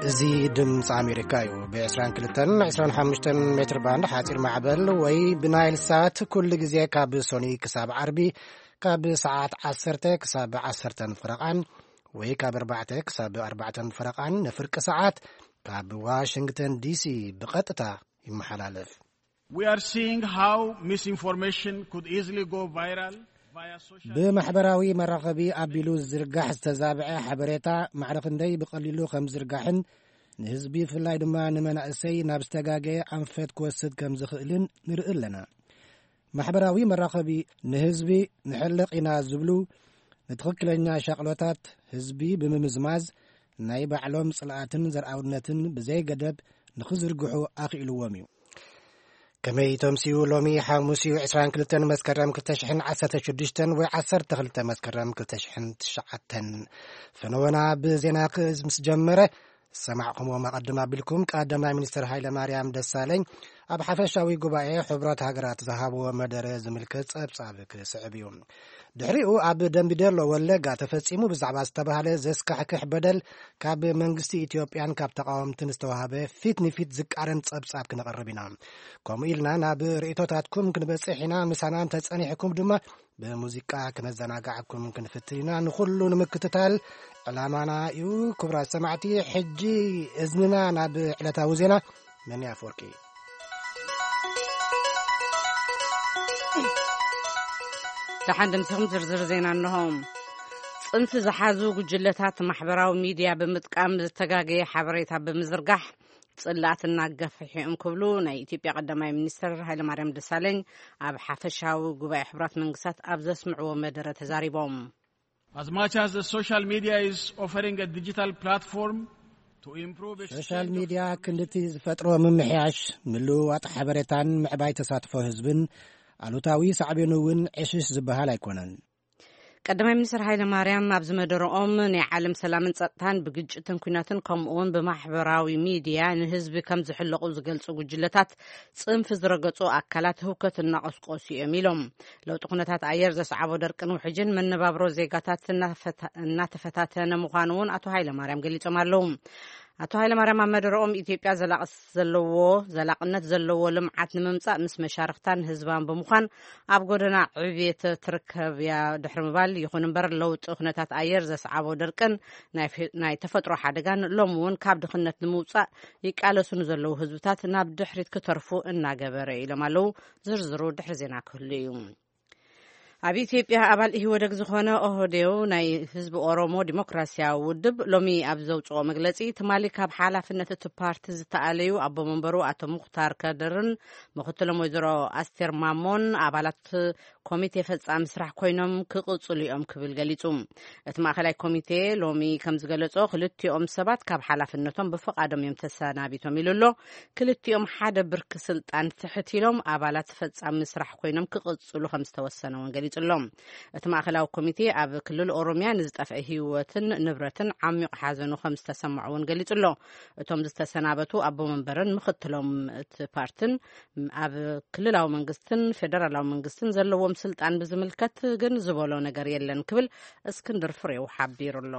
እዚ ድምፂ ኣሜሪካ እዩ። ብ22 25 ሜትር ባንድ ሓፂር ማዕበል ወይ ብናይል ሳት ኩሉ ግዜ ካብ ሶኒ ክሳብ ዓርቢ ካብ ሰዓት ዓሰርተ ክሳብ ዓሰርተ ፈረቓን ወይ ካብ ኣርባዕተ ክሳብ ኣርባዕተ ፈረቓን ንፍርቂ ሰዓት ካብ ዋሽንግተን ዲሲ ብቐጥታ ይመሓላለፍ። We are seeing how misinformation could easily go viral via social ብማሕበራዊ መራኸቢ ኣቢሉ ዝዝርጋሕ ዝተዛብዐ ሓበሬታ ማዕረ ክንደይ ብቐሊሉ ከም ዝዝርጋሕን ንህዝቢ ብፍላይ ድማ ንመናእሰይ ናብ ዝተጋገየ ኣንፈት ክወስድ ከም ዝኽእልን ንርኢ ኣለና። ማሕበራዊ መራኸቢ ንህዝቢ ንሕልቕ ኢና ዝብሉ ንትኽክለኛ ሻቕሎታት ህዝቢ ብምምዝማዝ ናይ ባዕሎም ጽልኣትን ዘርኣውነትን ብዘይ ገደብ ንኽዝርግሑ ኣኽኢልዎም እዩ። ከመይ ተምስዩ ሎሚ ሓሙስ እዩ ዕስራን ክልተን መስከረም ክልተ ሽሕን ዓሰርተ ሽዱሽተን ወይ ዓሰርተ ክልተ መስከረም ክልተ ሽሕን ትሽዓተን። ፈነወና ብዜና ክእዝ ምስ ጀመረ ዝሰማዕኹምዎም ኣቐድም ኣቢልኩም ቀዳማይ ሚኒስትር ሃይለ ማርያም ደሳለኝ ኣብ ሓፈሻዊ ጉባኤ ሕብረት ሃገራት ዝሃብዎ መደረ ዝምልከት ጸብጻብ ክስዕብ እዩ። ድሕሪኡ ኣብ ደምቢዶሎ ወለጋ ተፈጺሙ ብዛዕባ ዝተባህለ ዘስካሕክሕ በደል ካብ መንግስቲ ኢትዮጵያን ካብ ተቃወምትን ዝተዋህበ ፊት ንፊት ዝቃረን ጸብጻብ ክነቕርብ ኢና። ከምኡ ኢልና ናብ ርእቶታትኩም ክንበጽሕ ኢና። ምሳና እንተጸኒሕኩም ድማ ብሙዚቃ ክነዘናጋዕኩም ክንፍትን ኢና። ንኹሉ ንምክትታል ዕላማና እዩ። ክቡራት ሰማዕቲ፣ ሕጂ እዝንና ናብ ዕለታዊ ዜና መን ኣፈወርቂ። ደሓን ድምስኹም ዝርዝር ዜና እንሆ። ጽንሲ ዝሓዙ ጉጅለታት ማሕበራዊ ሚድያ ብምጥቃም ዝተጋገየ ሓበሬታ ብምዝርጋሕ ጽላእትና ገፍሒኦም ክብሉ ናይ ኢትዮጵያ ቀዳማይ ሚኒስትር ሃይለማርያም ደሳለኝ ኣብ ሓፈሻዊ ጉባኤ ሕቡራት መንግስታት ኣብ ዘስምዕዎ መደረ ተዛሪቦም። As much as the social media is offering a digital platform to improve ሶሻል exchange of ሚድያ ክንድቲ ዝፈጥሮ ምምሕያሽ፣ ምልውዋጥ ሓበሬታን ምዕባይ ተሳትፎ ህዝብን ኣሉታዊ ሳዕቤኑ እውን ዕሽሽ ዝበሃል ኣይኮነን። ቀዳማይ ሚኒስትር ሃይለ ማርያም ኣብዚ መደረኦም ናይ ዓለም ሰላምን ጸጥታን ብግጭትን ኩናትን ከምኡ እውን ብማሕበራዊ ሚድያ ንህዝቢ ከም ዝሕለቑ ዝገልጹ ጉጅለታት ጽንፊ ዝረገጹ ኣካላት ህውከት እናቐስቆሱ እዮም ኢሎም። ለውጢ ኩነታት ኣየር ዘስዓቦ ደርቅን ውሕጅን መነባብሮ ዜጋታት እናፈታ-፣ እናተፈታተነ ምዃኑ እውን ኣቶ ሃይለ ማርያም ገሊጾም ኣለዉ። ኣቶ ሃይለ ማርያም ኣብ መደረኦም ኢትዮጵያ ዘላቕ ዘለዎ፣ ዘላቕነት ዘለዎ ልምዓት ንምምጻእ ምስ መሻርኽታን ህዝባን ብምዃን ኣብ ጎደና ዕብየት ትርከብ እያ ድሕሪ ምባል፣ ይኹን እምበር ለውጢ ኩነታት ኣየር ዘስዓቦ ደርቅን ናይ ፌ-፣ ናይ ተፈጥሮ ሓደጋን ሎሚ እውን ካብ ድኽነት ንምውጻእ ይቃለሱ ንዘለዉ ህዝብታት ናብ ድሕሪት ክተርፉ እናገበረ ኢሎም ኣለዉ። ዝርዝሩ ድሕሪ ዜና ክህሉ እዩ። ኣብ ኢትዮጵያ ኣባል ኢህወደግ ዝኾነ ኦህዴው ናይ ህዝቢ ኦሮሞ ዲሞክራሲያዊ ውድብ ሎሚ ኣብ ዘውፅኦ መግለፂ፣ ትማሊ ካብ ሓላፍነት እቲ ፓርቲ ዝተኣለዩ ኣቦ መንበሩ ኣቶ ሙኽታር ከድርን ምኽትሎም ወይዘሮ ኣስቴር ማሞን ኣባላት ኮሚቴ ፈጻሚ ስራሕ ኮይኖም ክቕጽሉ እዮም ክብል ገሊጹ። እቲ ማእከላይ ኮሚቴ ሎሚ ከም ዝገለጾ፣ ክልቲኦም ሰባት ካብ ሓላፍነቶም ብፍቓዶም እዮም ተሰናቢቶም ኢሉ ኣሎ። ክልቲኦም ሓደ ብርኪ ስልጣን ትሕት ኢሎም ኣባላት ፈጻሚ ስራሕ ኮይኖም ክቕጽሉ ከም ዝተወሰነ እውን ገሊጹ ኣሎ። እቲ ማእከላዊ ኮሚቴ ኣብ ክልል ኦሮምያ ንዝጠፍአ ህይወትን ንብረትን ዓሚቕ ሓዘኑ ከም ዝተሰምዖ እውን ገሊጹ ኣሎ። እቶም ዝተሰናበቱ ኣቦ መንበርን ምኽትሎም እቲ ፓርትን ኣብ ክልላዊ መንግስትን ፌደራላዊ መንግስትን ዘለዎም ስልጣን ብዝምልከት ግን ዝበሎ ነገር የለን ክብል እስክንድር ፍሬው ሓቢሩ ኣሎ።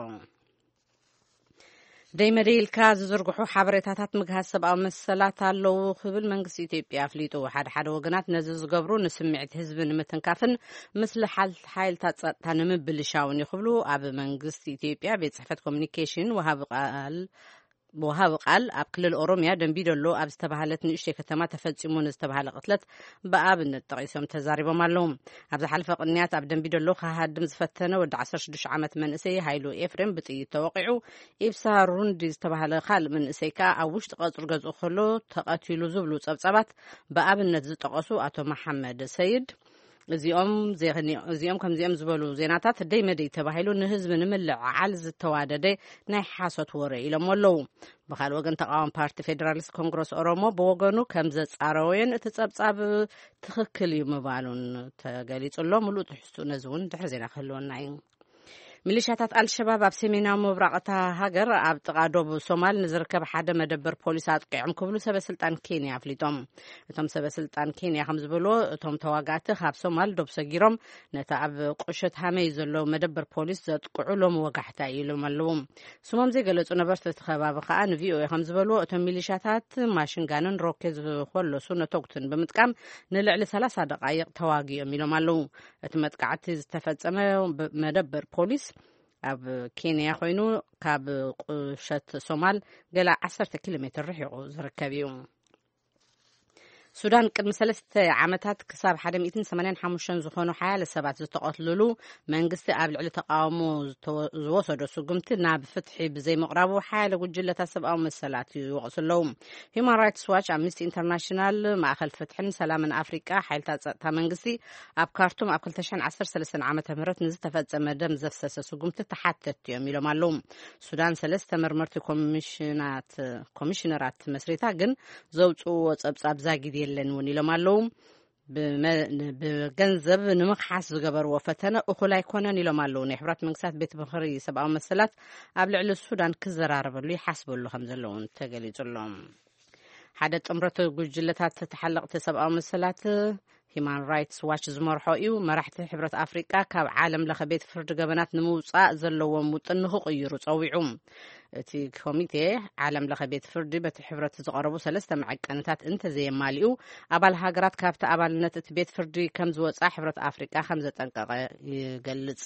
ደይ መደይ ኢልካ ዝዝርግሑ ሓበሬታታት ምግሃስ ሰብኣዊ መሰላት ኣለዉ ክብል መንግስቲ ኢትዮጵያ ኣፍሊጡ። ሓደ ሓደ ወገናት ነዚ ዝገብሩ ንስምዒት ህዝቢ ንምትንካፍን ምስሊ ሓል-፣ ሓይልታት ጸጥታ ንምብልሻውን እዩ ክብሉ ኣብ መንግስቲ ኢትዮጵያ ቤት ጽሕፈት ኮሚኒኬሽን ወሃቢ ቃል ወሃቢ ቃል ኣብ ክልል ኦሮምያ ደንቢዶሎ ኣብ ዝተባህለት ንእሽተይ ከተማ ተፈጺሙ ንዝተባህለ ቅትለት ብኣብነት ጠቒሶም ተዛሪቦም ኣለዉ። ኣብ ዝሓለፈ ቅንያት ኣብ ደንቢዶሎ ክሃድም ዝፈተነ ወዲ ዓሰርተ ሽዱሽተ ዓመት መንእሰይ ሃይሉ ኤፍሬም ብጥይት ተወቒዑ፣ ኢብሳ ሩንዲ ዝተባህለ ካልእ መንእሰይ ከኣ ኣብ ውሽጢ ቀጽሪ ገዝኡ ከሎ ተቐቲሉ ዝብሉ ጸብጻባት ብኣብነት ዝጠቐሱ ኣቶ መሓመድ ሰይድ፣ እዚኦም ዜኽኒ-፣ እዚኦም ከምዚኦም ዝበሉ ዜናታት ደይ መደይ ተባሂሉ ንህዝቢ ንምልዕዓል ዝተዋደደ ናይ ሓሶት ወረ ኢሎም ኣለዉ። ብኻልእ ወገን፣ ተቃዋሚ ፓርቲ ፌዴራሊስት ኮንግረስ ኦሮሞ ብወገኑ ከም ዘጻረወዮን እቲ ጸብጻብ ትኽክል እዩ ምባሉን ተገሊጹ ኣሎ። ምሉእ ትሕዝቱ ነዚ እውን ድሕሪ ዜና ክህልወና እዩ። ሚሊሻታት ኣልሸባብ ኣብ ሰሜናዊ ምብራቕ እታ ሃገር ኣብ ጥቓ ዶብ ሶማል ንዝርከብ ሓደ መደበር ፖሊስ ኣጥቂዖም ክብሉ ሰበ ስልጣን ኬንያ ኣፍሊጦም። እቶም ሰበ ስልጣን ኬንያ ከም ዝበልዎ፣ እቶም ተዋጋእቲ ካብ ሶማል ዶብ ሰጊሮም ነቲ ኣብ ቁሸት ሃመይ ዘሎ መደበር ፖሊስ ዘጥቅዑ ሎም ወጋሕታ ኢሎም ኣለዉ። ስሞም ዘይገለጹ ነበርቲ እቲ ከባቢ ከኣ ንቪኦኤ ከም ዝበልዎ፣ እቶም ሚሊሻታት ማሽንጋንን ሮኬት ዝኾለሱ ነተጉትን ብምጥቃም ንልዕሊ ሰላሳ ደቓይቕ ተዋጊኦም ኢሎም ኣለዉ። እቲ መጥቃዕቲ ዝተፈጸመ መደበር ፖሊስ ኣብ ኬንያ ኮይኑ፣ ካብ ቁሸት ሶማል ገለ ዓሰርተ ኪሎ ሜትር ርሒቑ ዝርከብ እዩ። ሱዳን ቅድሚ ሰለስተ ዓመታት ክሳብ ሓደ ሚእትን ሰማንያን ሓሙሽተን ዝኾኑ ሓያለ ሰባት ዝተቐትልሉ መንግስቲ ኣብ ልዕሊ ተቃውሞ ዝተወ- ዝወሰዶ ስጉምቲ ናብ ፍትሒ ብዘይምቕራቡ ሓያለ ጉጅለታት ሰብኣዊ መሰላት ይወቕሱ ኣለዉ። ሂዩማን ራይትስ ዋች፣ ኣምነስቲ ኢንተርናሽናል፣ ማእኸል ፍትሕን ሰላምን ኣፍሪቃ፣ ሓይልታት ጸጥታ መንግስቲ ኣብ ካርቱም ኣብ ክልተ ሽሕን ዓሰርተ ሰለስተን ዓመተ ምህረት ንዝተፈጸመ ደም ዘፍሰሰ ስጉምቲ ተሓተትቲ እዮም ኢሎም ኣለዉ። ሱዳን ሰለስተ መርመርቲ ኮሚሽናት ኮሚሽነራት መስሪታ፣ ግን ዘውፅእዎ ጸብጻብ ዛጊድ የለን እውን ኢሎም ኣለዉ። ብመ- ብገንዘብ ንምኽሓስ ዝገበርዎ ፈተነ እኹል ኣይኮነን ኢሎም ኣለዉ። ናይ ሕብራት መንግስታት ቤት ምኽሪ ሰብኣዊ መሰላት ኣብ ልዕሊ ሱዳን ክዘራረበሉ ይሓስበሉ ከም ዘለውን ተገሊጹ ኣሎ። ሓደ ጥምረት ጉጅለታት ተሓለቕቲ ሰብኣዊ መሰላት፣ ሂማን ራይትስ ዋች ዝመርሖ እዩ፣ መራሕቲ ሕብረት ኣፍሪቃ ካብ ዓለም ለኸ ቤት ፍርዲ ገበናት ንምውጻእ ዘለዎም ውጥን ንኽቕይሩ ጸዊዑ። እቲ ኮሚቴ፣ ዓለም ለኸ ቤት ፍርዲ በቲ ሕብረት ዝቐረቡ ሰለስተ መዐቀንታት እንተዘየማልኡ፣ ኣባል ሃገራት ካብቲ ኣባልነት እቲ ቤት ፍርዲ ከም ዝወጻ ሕብረት ኣፍሪቃ ከም ዘጠንቀቐ ይገልጽ።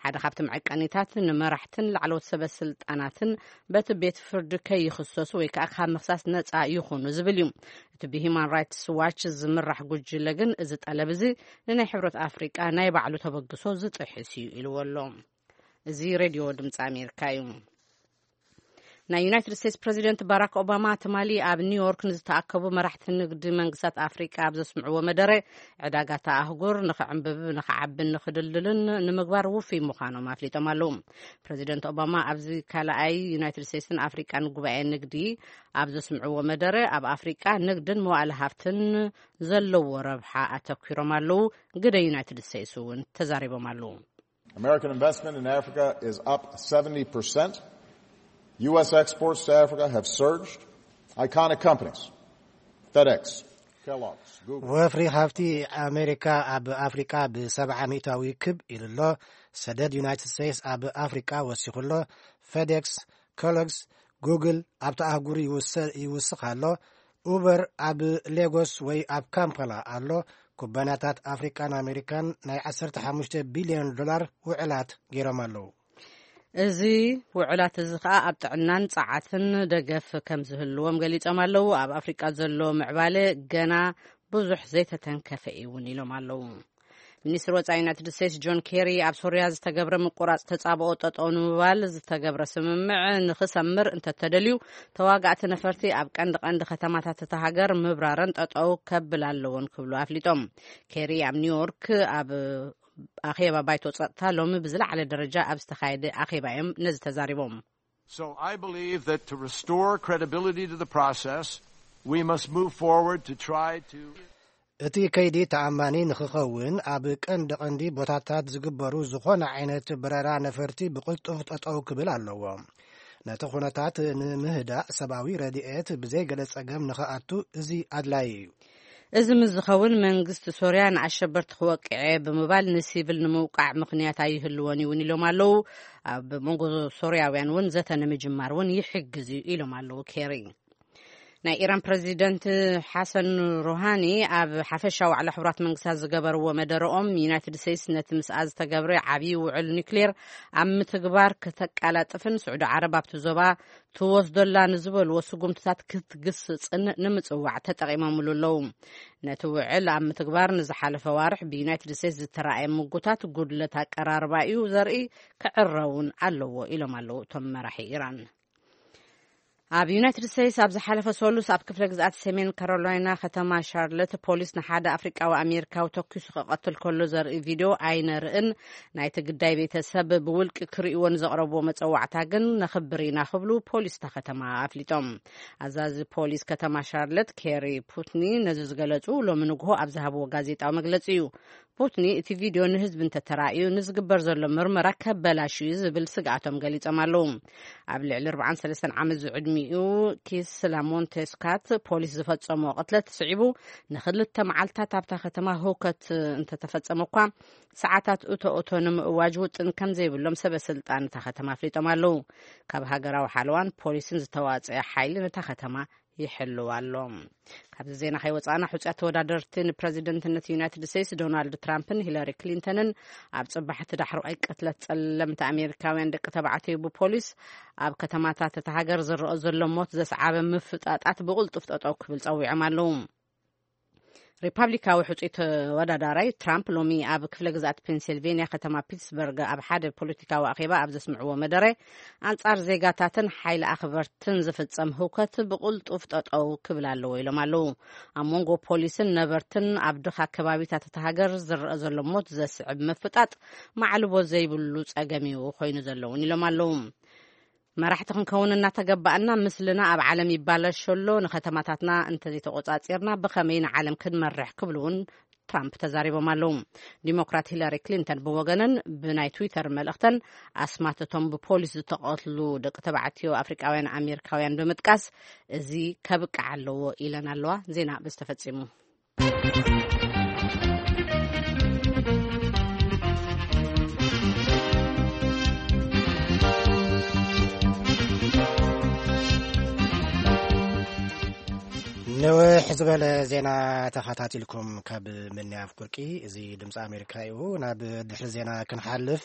ሓደ ካብቲ መዐቀኒታት፣ ንመራሕትን ላዕለዎት ሰበ ስልጣናትን በቲ ቤት ፍርዲ ከይኽሰሱ ወይ ከዓ ካብ ምኽሳስ ነጻ ይኹኑ ዝብል እዩ። እቲ ብሂማን ራይትስ ዋች ዝምራሕ ጉጅለ ግን፣ እዚ ጠለብ እዚ ንናይ ሕብረት ኣፍሪቃ ናይ ባዕሉ ተበግሶ ዝጥሕስ እዩ ኢልዎ ኣሎ። እዚ ሬድዮ ድምፂ ኣሜሪካ እዩ። ናይ ዩናይትድ ስቴትስ ፕረዚደንት ባራክ ኦባማ ትማሊ ኣብ ኒውዮርክ ንዝተኣከቡ መራሕቲ ንግዲ መንግስታት ኣፍሪቃ ኣብ ዘስምዕዎ መደረ፣ ዕዳጋታ ኣህጉር ንኽዕንብብ፣ ንኽዓብን ንኽድልድልን ንምግባር ውፉይ ምዃኖም ኣፍሊጦም ኣለዉ። ፕረዚደንት ኦባማ ኣብዚ ካልኣይ ዩናይትድ ስቴትስን ኣፍሪቃን ጉባኤ ንግዲ ኣብ ዘስምዕዎ መደረ፣ ኣብ ኣፍሪቃ ንግድን መዋእለ ሃፍትን ዘለዎ ረብሓ ኣተኲሮም ኣለዉ። ግደ ዩናይትድ ስቴትስ እውን ተዛሪቦም ኣለዉ። American investment in Africa is up seventy percent. U S exports to Africa have surged. Iconic companies, FedEx, Kellogg's, Google. ወፍሪ ሃብቲ ኣሜሪካ ኣብ ኣፍሪቃ ብሰብዓ ሚእታዊ ክብ ኢሉ ኣሎ። ሰደድ ዩናይትድ ስቴትስ ኣብ ኣፍሪቃ ወሲኹ ኣሎ። ፌዴክስ፣ ኮሎግስ፣ ጉግል ኣብቲ ኣህጉር ይውሰ- ይውስኽ ኣሎ። ኡበር ኣብ ሌጎስ ወይ ኣብ ካምፓላ ኣሎ። ኩባንያታት ኣፍሪቃን ኣሜሪካን ናይ ዓሰርተ ሓሙሽተ ቢልዮን ዶላር ውዕላት ገይሮም ኣለዉ። እዚ ውዕላት እዚ ከኣ ኣብ ጥዕናን ጸዓትን ደገፍ ከም ዝህልዎም ገሊጾም ኣለዉ። ኣብ ኣፍሪቃ ዘሎ ምዕባለ ገና ብዙሕ ዘይተተንከፈ እዩ እውን ኢሎም ኣለዉ። ሚኒስትሪ ወጻኢ ዩናይትድ ስቴትስ ጆን ኬሪ፣ ኣብ ሶርያ ዝተገብረ ምቁራጽ ተጻብኦ ጠጠው ንምባል ዝተገብረ ስምምዕ ንኽሰምር እንተተደልዩ፣ ተዋጋእቲ ነፈርቲ ኣብ ቀንዲ ቀንዲ ከተማታት እታ ሃገር ምብራረን ጠጠው ከብል ኣለዎን ክብሉ ኣፍሊጦም። ኬሪ ኣብ ኒውዮርክ ኣብ ኣኼባ ባይቶ ጸጥታ ሎሚ ብዝለዓለ ደረጃ ኣብ ዝተኻየደ ኣኼባ እዮም ነዚ ተዛሪቦም። So I believe that to restore credibility to the process, we must move forward to try to እቲ ከይዲ ተኣማኒ ንኽኸውን፣ ኣብ ቀንዲ ቀንዲ ቦታታት ዝግበሩ ዝኾነ ዓይነት በረራ ነፈርቲ ብቕልጡፍ ጠጠው ክብል ኣለዎ። ነቲ ኩነታት ንምህዳእ፣ ሰብኣዊ ረድኤት ብዘይ ገለ ጸገም ንኽኣቱ እዚ ኣድላዪ እዩ። እዚ ምስ ዝኸውን፣ መንግስቲ ሶርያ ንኣሸበርቲ ክወቅዕ እየ ብምባል ንሲቪል ንምውቃዕ ምኽንያት ኣይህልዎን እውን ኢሎም ኣለዉ። ኣብ መንጎ ሶርያውያን እውን ዘተ ንምጅማር እውን ይሕግዝ እዩ ኢሎም ኣለዉ ኬሪ። ናይ ኢራን ፕረዚደንት ሓሰን ሩሃኒ ኣብ ሓፈሻ ዋዕላ ሕቡራት መንግስታት ዝገበርዎ መደረኦም፣ ዩናይትድ ስቴትስ ነቲ ምስኣ ዝተገብረ ዓብዪ ውዕል ኒክሌር ኣብ ምትግባር ከተቀላጥፍን ስዑዲ ዓረብ ኣብቲ ዞባ ትወስደላ ንዝበልዎ ስጉምትታት ክትግስጽን ንምጽዋዕ ተጠቒሞምሉ ኣለዉ። ነቲ ውዕል ኣብ ምትግባር ንዝሓለፈ ዋርሕ ብዩናይትድ ስቴትስ ዝተራእየ ምጉታት ጉድለት ኣቀራርባ እዩ ዘርኢ፣ ክዕረውን ኣለዎ ኢሎም ኣለዉ እቶም መራሒ ኢራን። ኣብ ዩናይትድ ስቴትስ ኣብ ዝሓለፈ ሰሉስ ኣብ ክፍለ ግዝኣት ሰሜን ካሮላይና ከተማ ሻርለት ፖሊስ ንሓደ ኣፍሪቃዊ ኣሜሪካዊ ተኪሱ ክቐትል ከሎ ዘርኢ ቪድዮ ኣይነርእን፣ ናይቲ ግዳይ ቤተሰብ ብውልቂ ክርእይዎ ንዘቕረብዎ መጸዋዕታ ግን ነኽብር ኢና ክብሉ ፖሊስ እታ ከተማ ኣፍሊጦም። ኣዛዚ ፖሊስ ከተማ ሻርለት ኬሪ ፑትኒ ነዚ ዝገለጹ ሎሚ ንግሆ ኣብ ዝሃብዎ ጋዜጣዊ መግለጺ እዩ። ፑትኒ እቲ ቪድዮ ንህዝቢ እንተተራእዩ ንዝግበር ዘሎ ምርመራ ከበላሹ እዩ ዝብል ስግኣቶም ገሊጾም ኣለዉ። ኣብ ልዕሊ ኣርባዓን ሰለስተን ዓመት ዝዕድሚኡ ኪስላ ሞንቴስካት ፖሊስ ዝፈጸሞ ቅትለት ስዒቡ ንክልተ መዓልታት ኣብታ ከተማ ህውከት እንተተፈጸመ እኳ ሰዓታት እቶ እቶ ንምእዋጅ ውጥን ከም ዘይብሎም ሰበ ስልጣን እታ ከተማ ኣፍሊጦም ኣለዉ። ካብ ሃገራዊ ሓለዋን ፖሊስን ዝተዋጸአ ሓይሊ ነታ ከተማ ይሕልው ኣሎ። ካብዚ ዜና ከይወጻእና ሕጹያት ተወዳደርቲ ንፕረዚደንትነት ዩናይትድ ስቴትስ ዶናልድ ትራምፕን ሂለሪ ክሊንተንን ኣብ ጽባሕቲ ዳሕረዋይ ቅትለት ጸለምቲ ኣሜሪካውያን ደቂ ተባዕትዮ ብፖሊስ ኣብ ከተማታት እታ ሃገር ዝረአ ዘሎ ሞት ዘስዓበ ምፍጣጣት ብቕልጡፍ ጠጠው ክብል ጸዊዖም ኣለዉ። ሪፓብሊካዊ ሕጹይ ተወዳዳራይ ትራምፕ ሎሚ ኣብ ክፍለ ግዝኣት ፔንሲልቬንያ ከተማ ፒትስበርግ ኣብ ሓደ ፖለቲካዊ ኣኼባ ኣብ ዘስምዕዎ መደረ ኣንጻር ዜጋታትን ሓይሊ ኣኽበርትን ዝፍጸም ህውከት ብቕልጡፍ ጠጠው ክብል ኣለዎ ኢሎም ኣለዉ። ኣብ መንጎ ፖሊስን ነበርትን ኣብ ድኻ ከባቢታት እታ ሃገር ዝረአ ዘሎ ሞት ዘስዕብ ምፍጣጥ ማዕልቦ ዘይብሉ ጸገም እዩ ኮይኑ ዘለውን ኢሎም ኣለዉ። መራሕቲ ክንከውን እናተገባእና ምስልና ኣብ ዓለም ይባላሸ ኣሎ፣ ንከተማታትና እንተዘይተቆጻጺርና ብኸመይ ንዓለም ክንመርሕ ክብሉ እውን ትራምፕ ተዛሪቦም ኣለዉ። ዲሞክራት ሂላሪ ክሊንተን ብወገነን ብናይ ትዊተር መልእኽተን ኣስማት እቶም ብፖሊስ ዝተቐትሉ ደቂ ተባዕትዮ ኣፍሪቃውያን ኣሜሪካውያን ብምጥቃስ እዚ ከብቅዕ ኣለዎ ኢለን ኣለዋ። ዜና ብዝተፈጺሙ። ንውሕ ዝበለ ዜና ተኸታቲልኩም ካብ ምንያፍ ኩርቂ፣ እዚ ድምፂ ኣሜሪካ እዩ። ናብ ድሕሪ ዜና ክንሓልፍ፣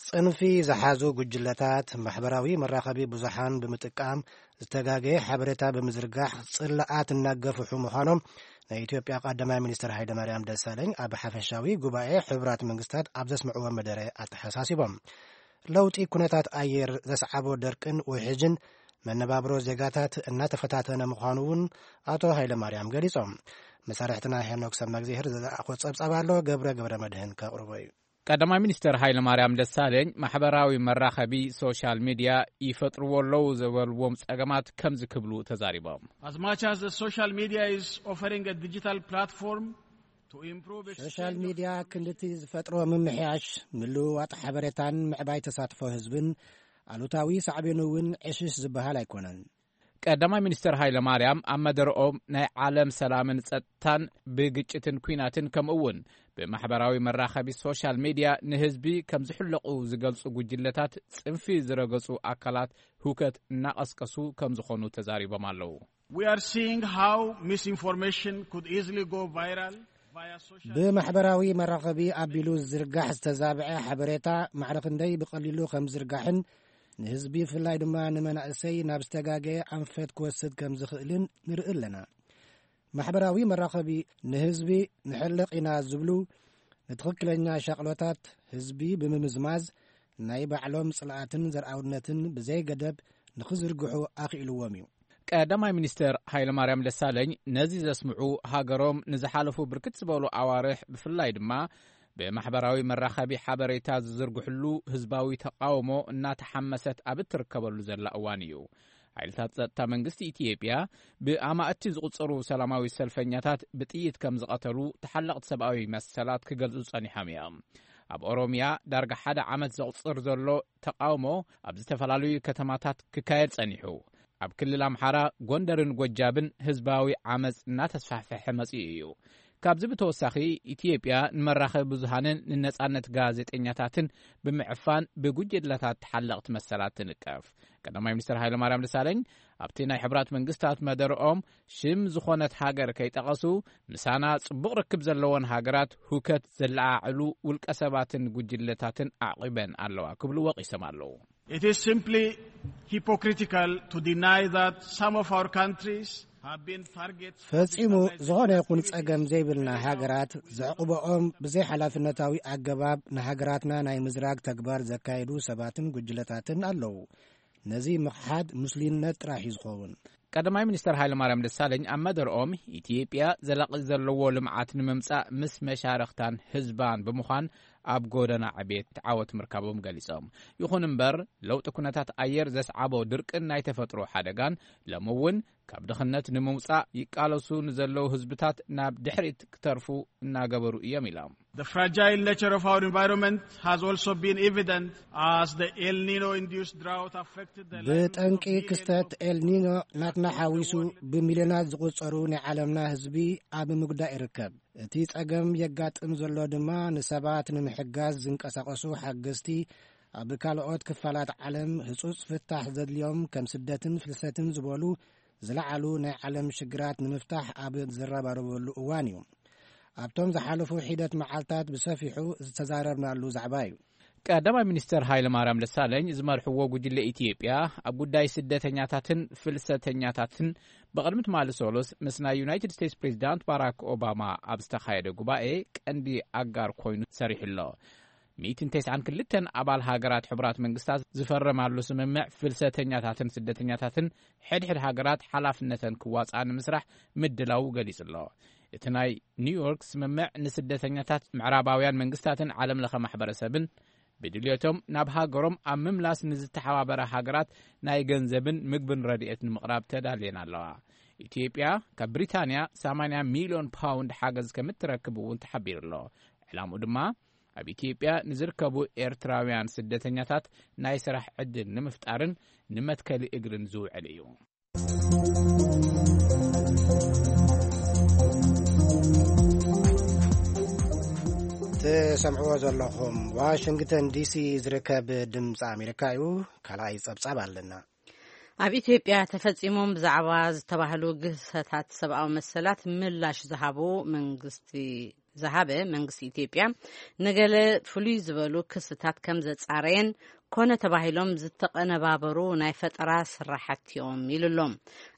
ጽንፊ ዝሓዙ ጉጅለታት ማሕበራዊ መራኸቢ ብዙሓን ብምጥቃም ዝተጋገየ ሓበሬታ ብምዝርጋሕ ጽላኣት እናገፍሑ ምዃኖም ናይ ኢትዮጵያ ቀዳማይ ሚኒስትር ሃይለማርያም ደሳለኝ ኣብ ሓፈሻዊ ጉባኤ ሕቡራት መንግስታት ኣብ ዘስምዕዎ መደረ ኣተሓሳሲቦም። ለውጢ ኩነታት ኣየር ዘስዓቦ ደርቅን ውሕጅን መነባብሮ ዜጋታት እናተፈታተነ ምዃኑ እውን ኣቶ ሃይለማርያም ገሊጾም። መሳርሕትና ሄኖክ ሰማግዜህር ዝለኣኾ ጸብጻብ ኣሎ፣ ገብረ ገብረ መድህን ከቕርቦ እዩ። ቀዳማይ ሚኒስትር ሃይለማርያም ደሳለኝ ማሕበራዊ መራኸቢ ሶሻል ሚዲያ ይፈጥርዎ ኣለዉ ዝበልዎም ጸገማት ከምዚ ክብሉ ተዛሪቦም። As much as the social media is offering a digital platform to improve ሶሻል ሚዲያ ክንድቲ ዝፈጥሮ ምምሕያሽ፣ ምልውዋጥ ሓበሬታን ምዕባይ ተሳትፎ ህዝብን ኣሉታዊ ሳዕቤኑ እውን ዕሽሽ ዝበሃል ኣይኮነን። ቀዳማይ ሚኒስትር ሃይለማርያም ኣብ መደረኦም ናይ ዓለም ሰላምን ጸጥታን ብግጭትን ኲናትን ከምኡ እውን ብማሕበራዊ መራኸቢ ሶሻል ሚድያ ንህዝቢ ከም ዝሕለቑ ዝገልጹ ጉጅለታት ጽንፊ ዝረገጹ ኣካላት ህውከት እናቐስቀሱ ከም ዝኾኑ ተዛሪቦም ኣለዉ። We are seeing how misinformation could easily go viral via social ብማሕበራዊ መራኸቢ ኣቢሉ ዝዝርጋሕ ዝተዛብዐ ሓበሬታ ማዕረ ክንደይ ብቐሊሉ ከም ዝርጋሕን ንህዝቢ ብፍላይ ድማ ንመናእሰይ ናብ ዝተጋገየ ኣንፈት ክወስድ ከም ዝኽእልን ንርኢ ኣለና። ማሕበራዊ መራኸቢ ንህዝቢ ንሕለቕ ኢና ዝብሉ ንትኽክለኛ ሻቕሎታት ህዝቢ ብምምዝማዝ ናይ ባዕሎም ጽልኣትን ዘርኣውነትን ብዘይ ገደብ ንኽዝርግሑ ኣኽኢልዎም እዩ። ቀዳማይ ሚኒስትር ሃይለማርያም ደሳለኝ ነዚ ዘስምዑ ሃገሮም ንዝሓለፉ ብርክት ዝበሉ ኣዋርሕ ብፍላይ ድማ ብማሕበራዊ መራኸቢ ሓበሬታ ዝዝርግሕሉ ህዝባዊ ተቓውሞ እናተሓመሰት ኣብ እትርከበሉ ዘላ እዋን እዩ። ሓይልታት ጸጥታ መንግስቲ ኢትዮጵያ ብኣማእቲ ዝቑጸሩ ሰላማዊ ሰልፈኛታት ብጥይት ከም ዝቐተሉ ተሓለቕቲ ሰብኣዊ መሰላት ክገልጹ ጸኒሖም እዮም። ኣብ ኦሮምያ ዳርጋ ሓደ ዓመት ዘቑጽር ዘሎ ተቓውሞ ኣብ ዝተፈላለዩ ከተማታት ክካየድ ጸኒሑ። ኣብ ክልል ኣምሓራ፣ ጎንደርን ጎጃብን ህዝባዊ ዓመጽ እናተስፋሕፈሐ መጺኡ እዩ። ካብዚ ብተወሳኺ፣ ኢትዮጵያ ንመራኸቢ ብዙሃንን ንነጻነት ጋዜጠኛታትን ብምዕፋን ብጉጅለታት ተሓለቕቲ መሰላት ትንቀፍ። ቀዳማይ ሚኒስትር ሃይለማርያም ደሳለኝ ኣብቲ ናይ ሕቡራት መንግስታት መደርኦም ሽም ዝኾነት ሃገር ከይጠቐሱ፣ ምሳና ጽቡቕ ርክብ ዘለወን ሃገራት ሁከት ዘለዓዕሉ ውልቀ ሰባትን ጉጅለታትን ኣዕቒበን ኣለዋ ክብሉ ወቒሶም ኣለዉ። It is simply hypocritical to deny that some of our countries have been targets ፈጺሙ ዝኾነ ይኹን ጸገም ዘይብልና ሃገራት ዘዕቑበኦም ብዘይ ሓላፍነታዊ ኣገባብ ንሃገራትና ናይ ምዝራግ ተግባር ዘካየዱ ሰባትን ጉጅለታትን ኣለዉ። ነዚ ምኽሓድ ምስሉይነት ጥራሕ እዩ ዝኸውን። ቀዳማይ ሚኒስትር ሃይለማርያም ደሳለኝ ኣብ መደርኦም፣ ኢትዮጵያ ዘላቒ ዘለዎ ልምዓት ንምምጻእ ምስ መሻርኽታን ህዝባን ብምዃን ኣብ ጎደና ዕቤት ዓወት ምርካቦም ገሊጾም። ይኹን እምበር፣ ለውጢ ኩነታት ኣየር ዘስዓቦ ድርቅን ናይ ተፈጥሮ ሓደጋን ሎሚ እውን ካብ ድኽነት ንምውጻእ ይቃለሱ ንዘለዉ ህዝብታት ናብ ድሕሪት ክተርፉ እናገበሩ እዮም ኢሎም። The fragile nature of our environment has also been evident as the El Nino induced drought affected the livelihoods ብጠንቂ of millions ክስተት of ኤልኒኖ ናትና ሓዊሱ ብሚልዮናት ዝቑጸሩ ናይ ዓለምና ህዝቢ ኣብ ምግዳእ ይርከብ። እቲ ጸገም የጋጥም ዘሎ ድማ ንሰባት ንምሕጋዝ ዝንቀሳቐሱ ሓገዝቲ ኣብ ካልኦት ክፋላት ዓለም ህጹጽ ፍታሕ ዘድልዮም ከም ስደትን ፍልሰትን ዝበሉ ዝለዓሉ ናይ ዓለም ሽግራት ንምፍታሕ ኣብ ዝረባረበሉ እዋን እዩ። ኣብቶም ዝሓለፉ ሒደት መዓልታት ብሰፊሑ ዝተዛረብናሉ ዛዕባ እዩ። ቀዳማይ ሚኒስተር ሃይለ ማርያም ደሳለኝ ዝመርሕዎ ጉጅለ ኢትዮጵያ ኣብ ጉዳይ ስደተኛታትን ፍልሰተኛታትን ብቕድሚ ትማሊ ሰሉስ ምስ ናይ ዩናይትድ ስቴትስ ፕሬዚዳንት ባራክ ኦባማ ኣብ ዝተኻየደ ጉባኤ ቀንዲ ኣጋር ኮይኑ ሰሪሑ ኣሎ። ሚእትን ተስዓን ክልተን ኣባል ሃገራት ሕቡራት መንግስታት ዝፈረማሉ ስምምዕ ፍልሰተኛታትን ስደተኛታትን ሕድሕድ ሃገራት ሓላፍነተን ክዋፅኣ ንምስራሕ ምድላዉ ገሊጹ ኣሎ። እቲ ናይ ኒውዮርክ ስምምዕ ንስደተኛታት ምዕራባውያን መንግስታትን ዓለም ለኸ ማሕበረሰብን ብድልዮቶም ናብ ሃገሮም ኣብ ምምላስ ንዝተሓባበረ ሃገራት ናይ ገንዘብን ምግብን ረድኤት ንምቕራብ ተዳልየን ኣለዋ። ኢትዮጵያ ካብ ብሪታንያ ሰማንያ ሚልዮን ፓውንድ ሓገዝ ከምትረክብ እውን ተሓቢሩ ኣሎ። ዕላምኡ ድማ ኣብ ኢትዮጵያ ንዝርከቡ ኤርትራውያን ስደተኛታት ናይ ስራሕ ዕድል ንምፍጣርን ንመትከሊ እግርን ዝውዕል እዩ። ትሰምዕዎ ዘለኹም ዋሽንግተን ዲሲ ዝርከብ ድምፂ ኣሜሪካ እዩ። ካልኣይ ጸብጻብ ኣለና። ኣብ ኢትዮጵያ ተፈጺሞም ብዛዕባ ዝተባህሉ ግህሰታት ሰብኣዊ መሰላት ምላሽ ዝሃቡ መንግስቲ ዝሃበ መንግስቲ ኢትዮጵያ፣ ንገለ ፍሉይ ዝበሉ ክስታት ከም ዘጻረየን ኮነ ተባሂሎም ዝተቐነባበሩ ናይ ፈጠራ ስራሓት እዮም ኢሉ ኣሎ።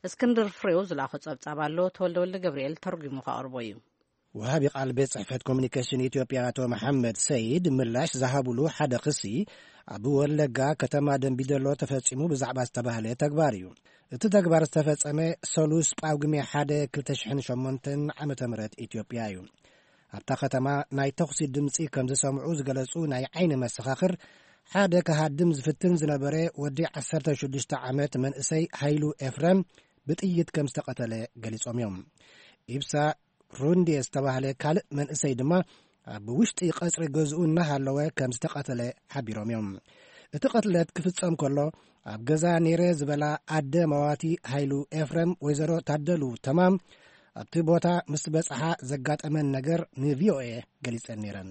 እስክንድር ፍሬው ዝለኣኾ ጸብጻብ ኣሎ፣ ተወልደ ወልደ ገብርኤል ተርጒሙ ከቕርቦ እዩ። ወሃቢ ቃል ቤት ጽሕፈት ኮሚኒኬሽን ኢትዮጵያ ኣቶ መሓመድ ሰይድ ምላሽ ዝሃብሉ ሓደ ክሲ፣ ኣብ ወለጋ ከተማ ደንቢዶሎ ተፈጺሙ ብዛዕባ ዝተባህለ ተግባር እዩ። እቲ ተግባር ዝተፈጸመ ሰሉስ ጳጉሜ ሓደ ክልተ ሽሕን ሸሞንተን ዓመተ ምህረት ኢትዮጵያ እዩ። ኣብታ ከተማ ናይ ተኹሲ ድምጺ ከም ዝሰምዑ ዝገለጹ ናይ ዓይኒ መሰኻኽር፣ ሓደ ክሃድም ዝፍትን ዝነበረ ወዲ ዓሰርተ ሽዱሽተ ዓመት መንእሰይ ሃይሉ ኤፍረም ብጥይት ከም ዝተቐተለ ገሊጾም እዮም። ኢብሳ ሩንዴ ዝተባህለ ካልእ መንእሰይ ድማ ኣብ ውሽጢ ቀጽሪ ገዝኡ እናሃለወ ከም ዝተቐተለ ሓቢሮም እዮም። እቲ ቅትለት ክፍጸም ከሎ ኣብ ገዛ ነይረ ዝበላ ኣደ መዋቲ ሃይሉ ኤፍረም ወይዘሮ ታደሉ ተማም ኣብቲ ቦታ ምስ በጽሓ ዘጋጠመን ነገር ንቪኦኤ ገሊጸን ነይረን።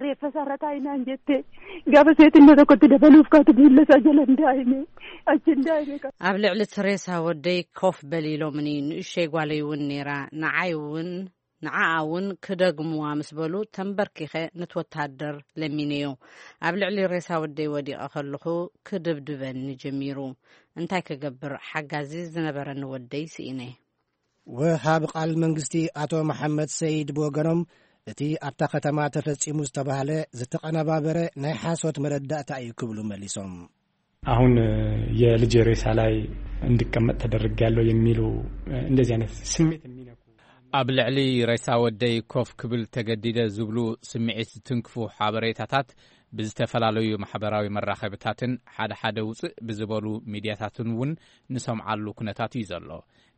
Reeffa isaarra taa'inaan jette gaafa seetiin tokkotti dabaluuf kaatu miilla isaa jala hin daa'ime achi hin daa'ime. ኣብ ልዕሊ እቲ ሬሳ ወደይ ኮፍ በል ኢሎምኒ፣ ንእሸይ ጓለይ እውን ነይራ፣ ንዓይ እውን ንዓኣ እውን ክደግሙዋ ምስ በሉ ተንበርኪኸ ነቲ ወተሃደር ለሚነዮ። ኣብ ልዕሊ ሬሳ ወደይ ወዲቐ ከለኹ ክድብድበኒ ጀሚሩ። እንታይ ክገብር፣ ሓጋዚ ዝነበረኒ ወደይ ስኢነ። ወሃብ ቃል መንግስቲ ኣቶ መሓመድ ሰይድ ብወገኖም፣ እቲ ኣብታ ከተማ ተፈጺሙ ዝተባህለ ዝተቐነባበረ ናይ ሓሶት መረዳእታ እዩ ክብሉ መሊሶም። አሁን የልጄ ሬሳ ላይ እንድቀመጥ ተደርጌያለሁ የሚሉ እንደዚህ አይነት ስሜት የሚነኩ ኣብ ልዕሊ ሬሳ ወደይ ኮፍ ክብል ተገዲደ ዝብሉ ስምዒት ዝትንክፉ ሓበሬታታት ብዝተፈላለዩ ማሕበራዊ መራኸብታትን ሓደ ሓደ ውፅእ ብዝበሉ ሚድያታትን እውን ንሰምዓሉ ኩነታት እዩ ዘሎ።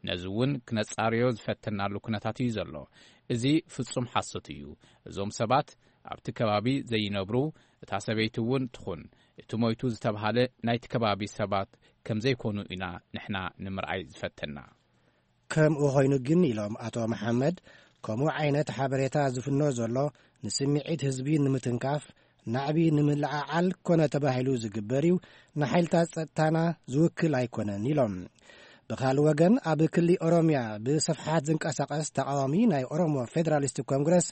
ነዚ እውን ክነጻርዮ ዝፈተናሉ ኩነታት እዩ ዘሎ። እዚ ፍጹም ሓሶት እዩ። እዞም ሰባት ኣብቲ ከባቢ ዘይነብሩ፣ እታ ሰበይቲ እውን ትኹን እቲ ሞይቱ ዝተባህለ ናይቲ ከባቢ ሰባት ከም ዘይኮኑ ኢና ንሕና ንምርኣይ ዝፈተና። ከምኡ ኮይኑ ግን፣ ኢሎም ኣቶ መሓመድ፣ ከምኡ ዓይነት ሓበሬታ ዝፍኖ ዘሎ ንስምዒት ህዝቢ ንምትንካፍ፣ ናዕቢ ንምልዓዓል ኮነ ተባሂሉ ዝግበር እዩ፣ ንሓይልታት ጸጥታና ዝውክል ኣይኮነን ኢሎም። ብኻልእ ወገን፣ ኣብ ክሊ ኦሮምያ ብስፍሓት ዝንቀሳቐስ ተቓዋሚ ናይ ኦሮሞ ፌደራሊስት ኮንግረስ፣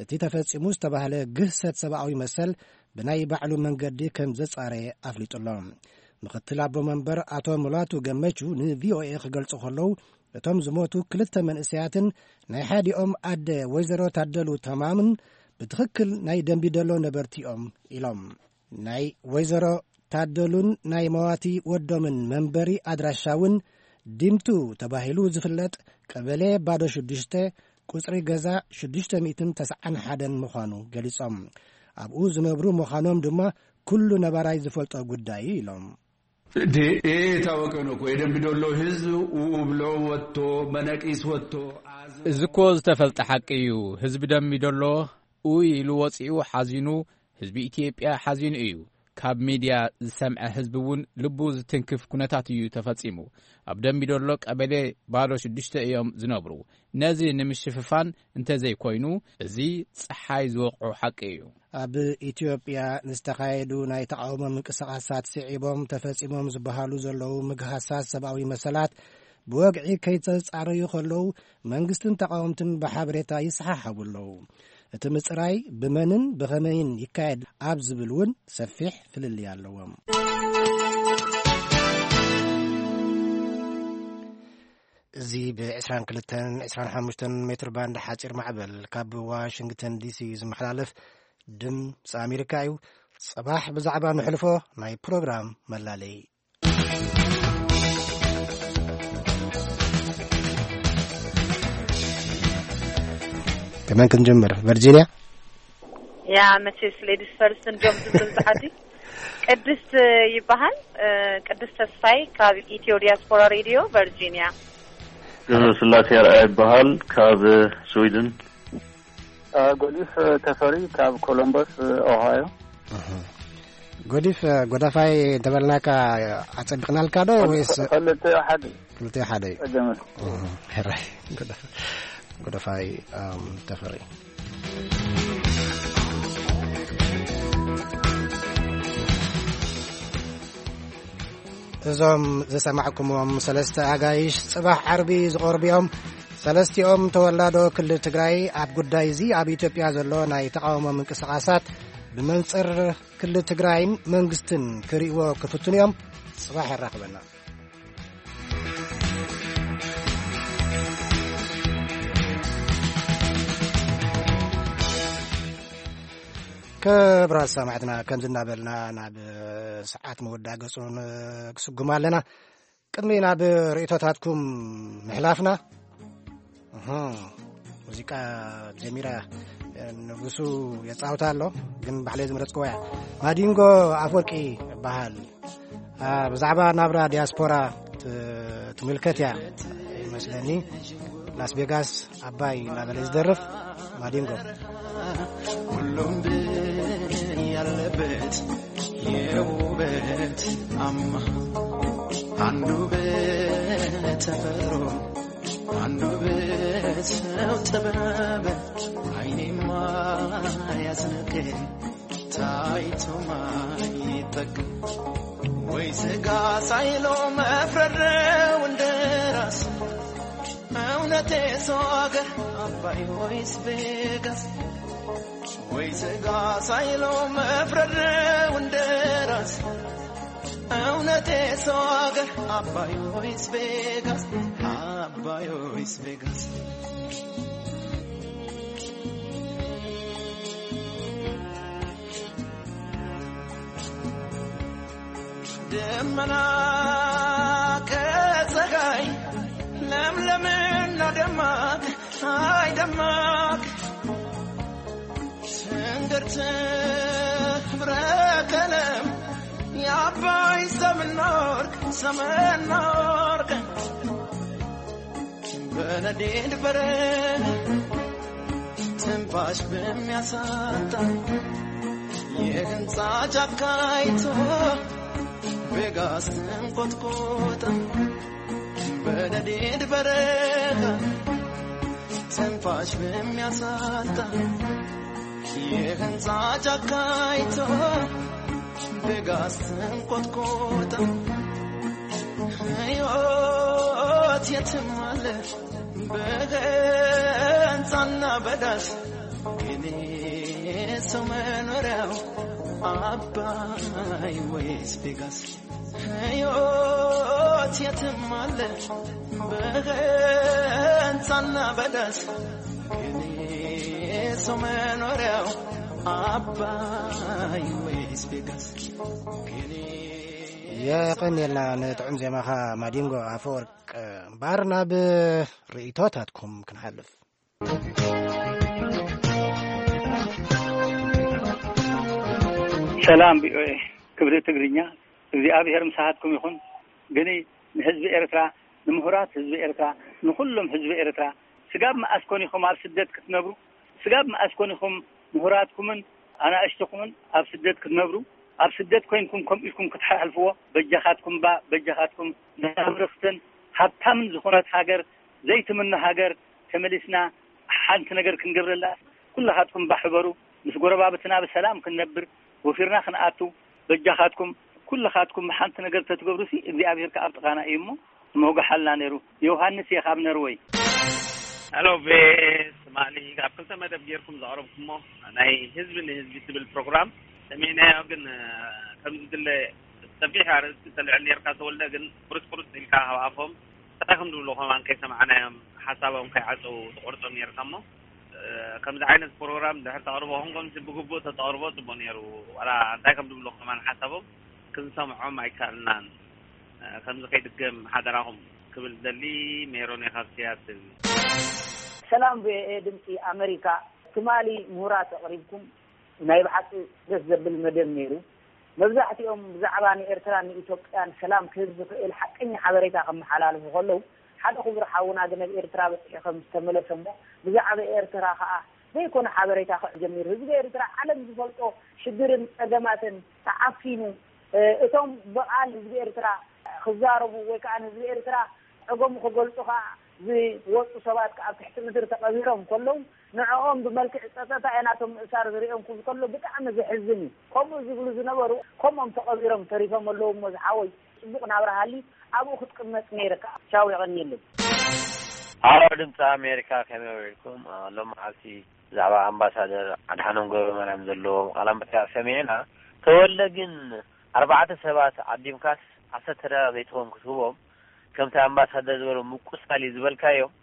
እቲ ተፈጺሙ ዝተባህለ ግህሰት ሰብኣዊ መሰል ብናይ ባዕሉ መንገዲ ከም ዘጻረየ ኣፍሊጡ ኣሎ። ምኽትል ኣቦ መንበር ኣቶ ሙላቱ ገመቹ ንቪኦኤ ክገልጹ ከለዉ፣ እቶም ዝሞቱ ክልተ መንእሰያትን ናይ ሓዲኦም ኣደ ወይዘሮ ታደሉ ተማምን ብትኽክል ናይ ደንቢደሎ ነበርቲ እዮም ኢሎም። ናይ ወይዘሮ ታደሉን ናይ መዋቲ ወዶምን መንበሪ ኣድራሻ እውን ዲምቱ ተባሂሉ ዝፍለጥ ቀበሌ ባዶ ሽዱሽተ፣ ቁጽሪ ገዛ ሽዱሽተ ሚእትን ተስዓን ሓደን ምዃኑ ገሊጾም። ኣብኡ ዝነብሩ ምዃኖም ድማ ኩሉ ነባራይ ዝፈልጦ ጉዳይ እዩ ኢሎም። ዲ-፣ የታወቀ ነው እኮ። የደምቢ ዶሎ ህዝብ ኡ ብሎ ወጥቶ፣ መነቂስ ወጥቶ፣ አዝ- እዚ እኮ ዝተፈልጠ ሓቂ እዩ። ህዝቢ ደምቢ ዶሎ ኡይ ኢሉ ወፂኡ ሓዚኑ፣ ህዝቢ ኢትዮጵያ ሓዚኑ እዩ። ካብ ሚድያ ዝሰምዐ ህዝቢ እውን ልቡ ዝትንክፍ ኩነታት እዩ ተፈፂሙ። ኣብ ደምቢ ዶሎ ቀበሌ ባዶ ሽዱሽተ እዮም ዝነብሩ። ነዚ ንምሽፍፋን እንተዘይኮይኑ፣ እዚ ፀሓይ ዝወቕዖ ሓቂ እዩ። ኣብ ኢትዮጵያ ንዝተኻየዱ ናይ ተቓውሞ ምንቅስቓሳት ስዒቦም ተፈጺሞም ዝበሃሉ ዘለዉ ምግሃሳት ሰብኣዊ መሰላት ብወግዒ ከይተጻረዩ ከለዉ፣ መንግስትን ተቓወምትን ብሓበሬታ ይሰሓሓቡ ኣለዉ። እቲ ምጽራይ ብመንን ብኸመይን ይካየድ ኣብ ዝብል እውን ሰፊሕ ፍልልይ ኣለዎም። እዚ ብ ዕስራን ክልተን ዕስራን ሓሙሽተን ሜትር ባንድ ሓጺር ማዕበል ካብ ዋሽንግተን ዲሲ ዝመሓላለፍ ድምፂ ኣሜሪካ እዩ። ጽባሕ ብዛዕባ ንሕልፎ ናይ ፕሮግራም መላለይ። ከመን ክንጅምር? ቨርጂኒያ? ያ፣ መቼስ ሌዲስ ፈርስት እንዲዮም ዝብሉ ብዙሓት። ቅድስት ይበሃል። እ፣ ቅድስት ተስፋይ ካብ ኢትዮ ዲያስፖራ ሬድዮ ቨርጂኒያ። ገብረስላሴ ኣርኣያ ይበሃል ካብ ስዊድን። እ፣ ጎዲፍ ተፈሪ ካብ ኮሎምበስ ኦሃዮ። እህ። ጎዲፍ፣ እ፣ ጎዳፋይ እንተበልናካ ኣጸቢቕናልካ ዶ ወይስ? ክልተ ሓደ። ክልተ ሓደ እዩ። ጸገም የለን። እህ፣ ሕራይ። ጎዳፍ-፣ ጎዳፋይ፣ እም፣ ተፈሪ። እዞም ዝሰማዕኩምዎም ሰለስተ ኣጋይሽ ጽባሕ ዓርቢ ዝቐርቡ እዮም። ሰለስቲኦም ተወላዶ ክልል ትግራይ ኣብ ጉዳይ እዚ ኣብ ኢትዮጵያ ዘሎ ናይ ተቓውሞ ምንቅስቓሳት ብመንጽር ክልል ትግራይን መንግስትን ክርእይዎ ክፍትኑ እዮም። ጽባሕ የራኽበና። ክቡራት ሰማዕትና፣ ከምዚ እናበልና ናብ ሰዓት መወዳእ ገጹ ን-፣ ክስጉም ኣለና። ቅድሚ ናብ ርእይቶታትኩም ምሕላፍና፣ እህ፣ ሙዚቃ ጀሚራ፣ ንጉሱ የጻውታ ኣሎ፣ ግን ባዕለይ ዝመረጽክዎ እያ። ማዲንጎ ኣፈወርቂ ይበሃል። አ፣ ብዛዕባ ናብራ ዲያስፖራ ት-፣ ትምልከት እያ ይመስለኒ። ላስ ቬጋስ ኣባይ እናበለ ዝደርፍ ማዲንጎ። ሁሉም ብን ያለበት የውበት አማ አንዱ በተፈጥሮ አንዱ በሰው ጥበብ አይኔማ ያስነቀኝ ታይቶ ማይጠገብ ወይ ስጋ ሳይለው መፍረድ ነው እንደ ራስ። እውነቴ ሰው አገር አባይ ወይስ ቬጋስ? ወይ ስጋ ሳይለው መፍረድ ነው እንደ ራስ። እውነቴ ሰው አገር አባይ ወይስ ቬጋስ? አባይ ወይስ ቬጋስ? ደመና ከፀሐይ ለምለምና ደማቅ፣ አይ ደማቅ፣ ትንግርት ህብረ ቀለም የአባይ ሰምና ወርቅ፣ ሰምና ወርቅ። በነዴድ በረሃ ትንፋሽ በሚያሳጣ የህንፃ ጫካ አይቶ ቬጋስ ተንቆጥቆጠ። በነዴድ በረሃ ትንፋሽ በሚያሳጣ የህንፃ ጫካ አይቶ ቬጋስ ተንቆጥቆጠ። ሕይወት የትም አለ በገንጻና በዳስ፣ ግን ሰው መኖሪያው አባይ ወይስ ቬጋስ? ሕይወት የትም አለ በገንጻና በዳስ፣ ግን ሰው መኖሪያው አባይ ወይስ ቬጋስ? ግን የቐንየልና ንጥዑም ዜማኻ ማዲንጎ ኣፈወርቅ። እምበኣር ናብ ርእይቶታትኩም ክንሓልፍ። ሰላም ቪኦኤ ክብሪ ትግርኛ፣ እግዚኣብሔር ምሳኻትኩም ይኹን። ግን ንህዝቢ ኤርትራ፣ ንምሁራት ህዝቢ ኤርትራ፣ ንኹሎም ህዝቢ ኤርትራ፣ ስጋብ መኣስ ኮን ኢኹም ኣብ ስደት ክትነብሩ? ስጋብ መኣስ ኮን ኢኹም ምሁራትኩምን ኣናእሽትኹምን ኣብ ስደት ክትነብሩ? ኣብ ስደት ኮይንኩም ከምኡ ኢልኩም ክትሓልፍዎ? በጃኻትኩም እባ፣ በጃኻትኩም። ንብርኽትን ሃብታምን ዝኾነት ሃገር፣ ዘይትምኖ ሃገር ተመሊስና ሓንቲ ነገር ክንገብረላ፣ ኩልኻትኩም እባ ሕበሩ። ምስ ጎረባብትና ብሰላም ክንነብር፣ ወፊርና ክንኣቱ፣ በጃኻትኩም፣ ኩልኻትኩም ሓንቲ ነገር ተትገብሩሲ እግዚኣብሔር ከኣ ኣብ ጥቓና እዩ እሞ ምወግሓልና ነይሩ። ዮሃንስ እየ ካብ ነርወይ። ሄሎ ቪኦኤ ትማሊ ኣብ ክልተ መደብ ጌርኩም ዘቕረብኩሞ ናይ ህዝቢ ንህዝቢ ትብል ፕሮግራም ሰሚዕናዮ፣ ግን ከም ዝድለ ሰፊሕ ኣርእስቲ ተልዕል ኔርካ ተወልደ፣ ግን ቁርጽ ቁርጽ ኢልካ ካብ ኣፎም እንታይ ከም ዝብሉ ከማን ከይሰማዕናዮም፣ ሓሳቦም ከይዓጸው ትቆርጾም ኔርካ እሞ፣ ከምዚ ዓይነት ፕሮግራም ድሕር ተቕርቦ፣ ከምዚ ብግቡእ ተተቕርቦ ጽቡቅ ነይሩ። ዋላ እንታይ ከም ዝብሉ ከማን ሓሳቦም ክንሰምዖም ኣይከኣልናን። ከምዚ ከይድገም ሓደራኹም ክብል ደሊ። ሜሮን እየ ካብ ሲያትል። ሰላም ቪኦኤ ድምፂ ኣመሪካ። ትማሊ ምሁራት ኣቕሪብኩም ናይ ብሓቂ ደስ ዘብል መደብ ነይሩ። መብዛሕትኦም ብዛዕባ ንኤርትራን ንኢትዮጵያን ሰላም ክህብ ዝኽእል ሓቀኛ ሓበሬታ ከመሓላልፉ ከለዉ፣ ሓደ ክቡር ሓውና ግን ኣብ ኤርትራ በፂሑ ከም ዝተመለሰ እሞ ብዛዕባ ኤርትራ ከኣ ዘይኮነ ሓበሬታ ክዕ ጀሚሩ። ህዝቢ ኤርትራ ዓለም ዝፈልጦ ሽግርን ጸገማትን ተዓፊኑ፣ እቶም ብቓል ህዝቢ ኤርትራ ክዛረቡ ወይ ከኣ ንህዝቢ ኤርትራ ጸገሙ ክገልጹ ከኣ ዝወጹ ሰባት ከኣ ኣብ ትሕቲ ምድሪ ተቐቢሮም ከለዉ፣ ንዕኦም ብመልክዕ ጸጸታ እየ ናቶም ምእሳር ዝርእዮም ክብል ከሎ ብጣዕሚ ዘሕዝን እዩ። ከምኡ ዝብሉ ዝነበሩ ከምኦም ተቐቢሮም ተሪፎም ኣለዉ እሞ ዝሓወይ ጽቡቕ ናብራ ሃሊ ኣብኡ ክትቅመጥ ነይርካ። ቻው፣ የቐንየለይ። ሃሎ ድምፂ ኣሜሪካ፣ ከመይ ውዒልኩም? ሎሚ መዓልቲ ብዛዕባ ኣምባሳደር ኣድሓኖም ገብረማርያም ዘለዎ ቃለ መጠይቕ ሰሚዕና። ተወልደ ግን ኣርባዕተ ሰባት ዓዲምካስ ዓሰርተ ደቂቕ ዘይትኸውን ክትህቦም፣ ከምቲ ኣምባሳደር ዝበሎ ምቁሳል እዩ ዝበልካዮም፣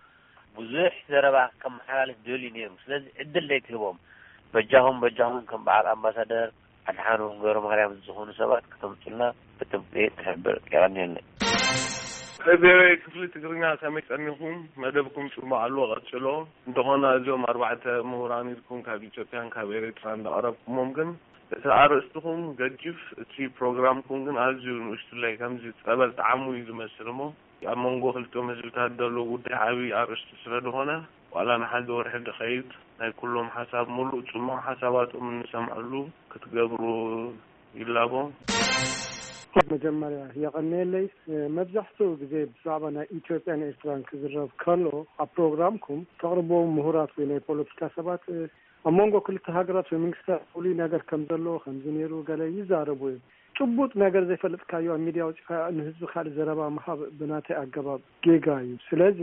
ብዙሕ ዘረባ ከመሓላልፍ ደልዩ ነይሩ። ስለዚ ዕድል ዘይትህቦም፣ በጃኹም፣ በጃኹም ከም በዓል ኣምባሳደር ኣድሓኖም ገብረማርያም ዝኾኑ ሰባት ከተምጹልና ብጥብቂ ንሕብር። የቐንየለይ። ቪኦኤ ክፍሊ ትግርኛ ከመይ ጸኒኹም? መደብኩም ጽቡቕ ኣሎ፣ ቀጽሎ። እንተኾነ እዚኦም ኣርባዕተ ምሁራን ኢልኩም ካብ ኢትዮጵያን ካብ ኤርትራን እንዳቐረብኩሞም ግን እቲ ኣርእስትኹም ገዲፍ፣ እቲ ፕሮግራምኩም ግን ኣዝዩ ንእሽቱለይ፣ ከምዚ ጸበል ጣዕሙ እዩ ዝመስል እሞ ኣብ መንጎ ክልቲኦም ህዝብታት ዘሎ ጉዳይ ዓብዪ ኣርእስቲ ስለ ዝኾነ ዋላ ንሓደ ወርሒ ድኸይድ ናይ ኩሎም ሓሳብ ሙሉእ ጽሙቕ ሓሳባቶም እንሰምዐሉ ክትገብሩ ይላቦ። መጀመርያ የቐንየለይ። መብዛሕትኡ ግዜ ብዛዕባ ናይ ኢትዮጵያን ኤርትራን ክዝረብ ከሎ ኣብ ፕሮግራምኩም ተቕርቦም ምሁራት ወይ ናይ ፖለቲካ ሰባት ኣብ መንጎ ክልተ ሃገራት ወይ መንግስታት ፍሉይ ነገር ከም ዘሎ ከምዚ ነይሩ ገለ ይዛረቡ እዮም። ጭቡጥ ነገር ዘይፈለጥካዮ ኣብ ሚድያ ኣውፂእካ ንህዝቢ ካልእ ዘረባ ምሃብ ብናተይ ኣገባብ ጌጋ እዩ። ስለዚ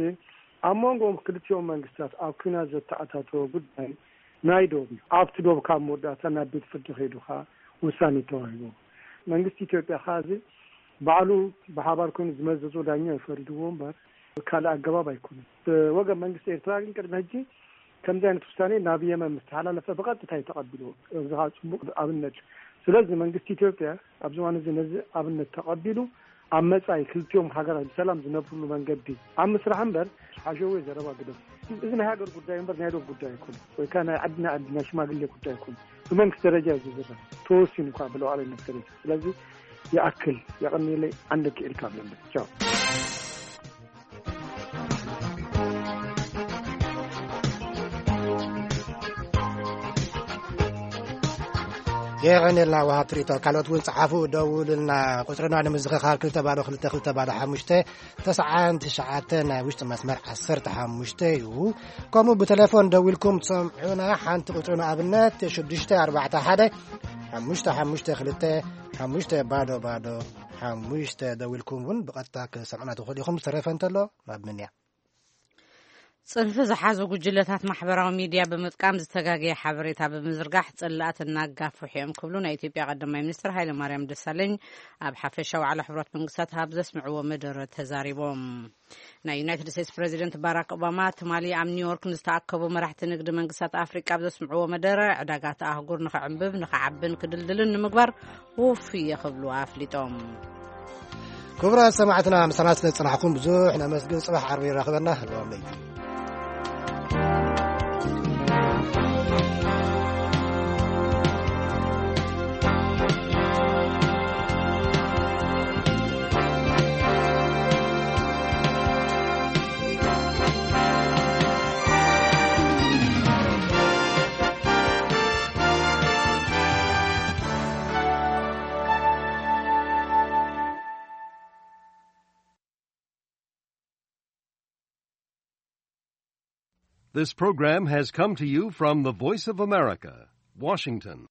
ኣብ መንጎ ክልቲኦም መንግስታት ኣብ ኲናት ዘተኣታተወ ጉዳይ ናይ ዶብ እዩ። ኣብቲ ዶብ ካብ መወዳእታ ናብ ቤት ፍርዲ ከይዱ ከዓ ውሳኔ ተዋሂቡ። መንግስቲ ኢትዮጵያ ከዓ እዚ ባዕሉ ብሓባር ኮይኑ ዝመዘዞ ዳኛ እዩ ፈሪድዎ እምበር ካልእ ኣገባብ ኣይኮነን። ብወገን መንግስቲ ኤርትራ ግን ቅድሚ ሕጂ ከምዚ ዓይነት ውሳኔ ናብ የመን ምስ ተሓላለፈ ብቐጥታ እዩ ተቐቢልዎ። እዚ ከዓ ጽቡቕ ኣብነት እዩ። ስለዚ መንግስቲ ኢትዮጵያ ኣብዚ እዋን እዚ ነዚ ኣብነት ተቐቢሉ ኣብ መጻኢ ክልቲኦም ሃገራት ብሰላም ዝነብርሉ መንገዲ ኣብ ምስራሕ እምበር ሓሸወ ዘረባ ግደፍ። እዚ ናይ ሃገር ጉዳይ እምበር ናይ ዶብ ጉዳይ ኣይኮነን። ወይ ከዓ ናይ ዓዲ ናይ ዓዲ ናይ ሽማግሌ ጉዳይ ኣይኮነን። ብመንግስቲ ደረጃ እዩ ዝዝረብ። ተወሲኑ እኳ ብሉዓላዊነት ደረጃ። ስለዚ ይኣክል፣ የቐንየለይ፣ ዓንደ ክኢልካ ኣለና። ቻው። የቐንየልና ወሃብ ትርኢቶ። ካልኦት እውን ጸሓፉ፣ ደውሉልና። ቁጽርና ንምዝኽኻር ክልተ ባዶ ክልተ ክልተ ባዶ ሓሙሽተ ተስዓን ትሽዓተን ናይ ውሽጢ መስመር ዓሰርተ ሓሙሽተ እዩ። ከምኡ ብቴሌፎን ደዊልኩም ትሰምዑና። ሓንቲ ቁጽሪ ንኣብነት ሽዱሽተ ኣርባዕተ ሓደ ሓሙሽተ ሓሙሽተ ክልተ ሓሙሽተ ባዶ ባዶ ሓሙሽተ ደዊልኩም እውን ብቐጥታ ክሰምዑና ትኽእሉ ኢኹም። ዝተረፈ እንተሎ ናብ ምንያ። ጽንፊ ዝሓዙ ጉጅለታት ማሕበራዊ ሚድያ ብምጥቃም ዝተጋገየ ሓበሬታ ብምዝርጋሕ ጽላኣት እናጋፍሑ እዮም ክብሉ ናይ ኢትዮጵያ ቀዳማይ ሚኒስትር ሃይለማርያም ደሳለኝ ኣብ ሓፈሻዊ ዋዕላ ሕቡራት መንግስታት ኣብ ዘስምዕዎ መደረ ተዛሪቦም። ናይ ዩናይትድ ስቴትስ ፕሬዚደንት ባራክ ኦባማ ትማሊ ኣብ ኒውዮርክ ንዝተኣከቡ መራሕቲ ንግዲ መንግስታት ኣፍሪቃ ኣብ ዘስምዕዎ መደረ ዕዳጋት ኣህጉር ንኽዕንብብ ንኽዓብን ክድልድልን ንምግባር ውፉይ እየ ክብሉ ኣፍሊጦም። ክቡራት ሰማዕትና ምሳና ስለ ዝጸናሕኩም ብዙሕ ነመስግን። ጽባሕ ዓርቢ ይራኸበና። ህልዋም ለይቲ። This program has come to you from the Voice of America, Washington.